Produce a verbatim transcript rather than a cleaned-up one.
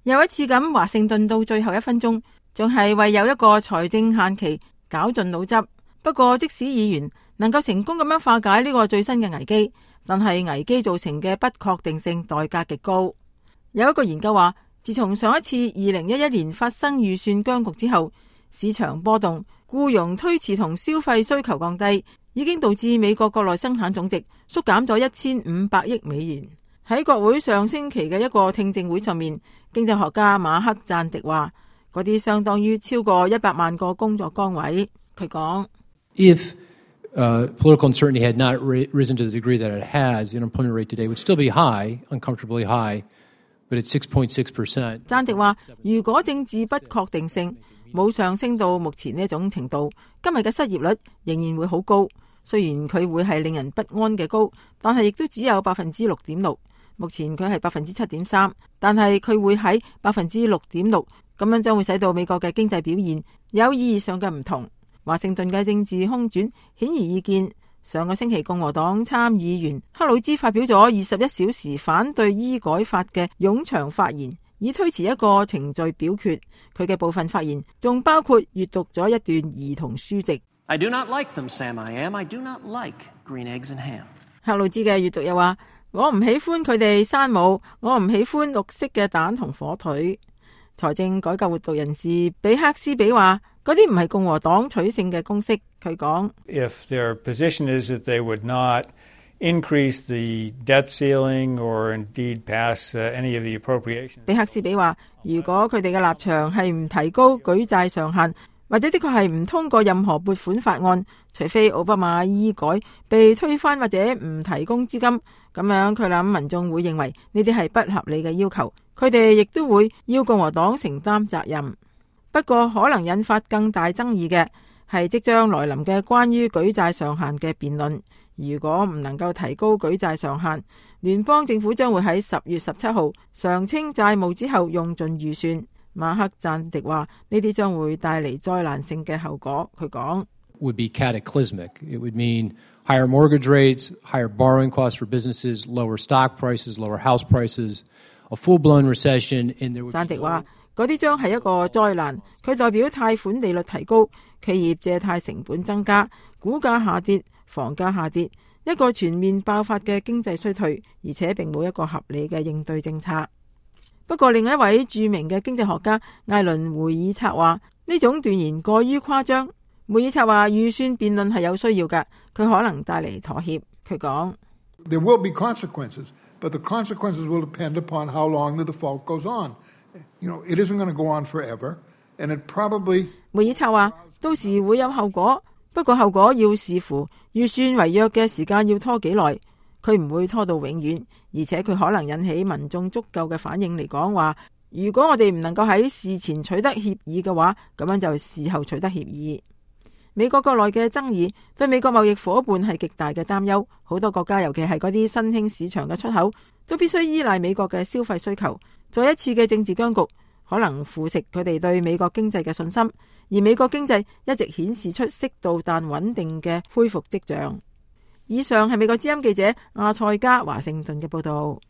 又一次咁，華盛頓到最後一分鐘仲係為有一個財政限期絞盡腦汁。不過即使議員能夠成功咁樣化解呢個最新嘅危機，但係危機造成嘅不確定性代價極高。有一個研究話，自從上一次二零一一年發生預算僵局之後，市場波動、僱傭推遲同消費需求降低，已經導致美國國內生產總值縮減咗一千五百億美元。喺國會上星期嘅一個聽證會上面，經濟學家馬克贊迪話，嗰啲相當於超過一百萬個工作崗位。佢講：If uh, political uncertainty had not risen to the degree that it has, the unemployment rate today would still be high, uncomfortably high, but it's six point six percent。贊迪話，如果政治不確定性冇上升到目前呢一種程度，今日嘅失業率仍然會好高。雖然佢會係令人不安嘅高，但係亦都只有百分之六點六。目前佢係百分之七點三，但係佢會喺百分之六點六，咁樣將會使到美國嘅經濟表現有意義上嘅唔同。華盛頓嘅政治空轉顯而易見。上個星期共和黨參議員克魯茲發表咗二十一小時反對醫改法嘅冗長發言，以推遲一個程序表決。佢嘅部分發言仲包括閱讀咗一段兒童書籍。I do not like them, Sam. I am. I do not like green eggs and ham. 克魯茲嘅閱讀又話，我唔喜歡佢哋山姆，我唔喜歡綠色嘅蛋同火腿。財政改革活動人士比克斯比話，嗰啲唔係共和黨取勝嘅公式。佢講 If their position is that they would not increase the debt ceiling or indeed pass any of the appropriations， 比克斯比話，如果佢哋嘅立場係唔提高舉債上限，或者的確係唔通過任何撥款法案，除非奧巴馬醫改被推翻或者唔提供資金，咁樣佢諗民眾會認為呢啲係不合理嘅要求，佢哋亦都會要共和黨承擔責任。不過可能引發更大爭議嘅係即將來臨嘅關於舉債上限嘅辯論。如果唔能夠提高舉債上限，聯邦政府將會喺十月十七號償清債務之後用盡預算。馬克贊迪話，呢啲將會帶嚟災難性嘅後果。佢講 would be cataclysmic. It would mean higher mortgage rates, higher borrowing costs for businesses, lower stock prices, lower house prices, a full-blown recession. And there would be 贊迪話，嗰啲將係一個災難。佢代表貸款利率提高，企業借貸成本增加，股價下跌，房價下跌，一個全面爆發嘅經濟衰退，而且並冇一個合理嘅應對政策。不過另一位著名嘅經濟學家艾倫梅爾策話，呢種斷言過於誇張。梅爾策話，預算辯論係有需要㗎，佢可能帶嚟妥協。佢講 There will be consequences, but the consequences will depend upon how long the default goes on. You know, it isn't going to go on forever, and it probably 梅爾策話，到時會有後果，不過後果要視乎預算違約嘅時間要拖幾耐。佢唔會拖到永遠，而且佢可能引起民眾足夠嘅反應嚟講話，如果我哋唔能夠喺事前取得協議嘅話，咁樣就事後取得協議。美國國內嘅爭議對美國貿易夥伴係極大嘅擔憂，好多國家尤其係嗰啲新興市場嘅出口都必須依賴美國嘅消費需求。再一次嘅政治僵局可能腐蝕佢哋對美國經濟嘅信心，而美國經濟一直顯示出適度但穩定嘅恢復跡象。以上係美國之音記者阿塞加華盛頓嘅報道。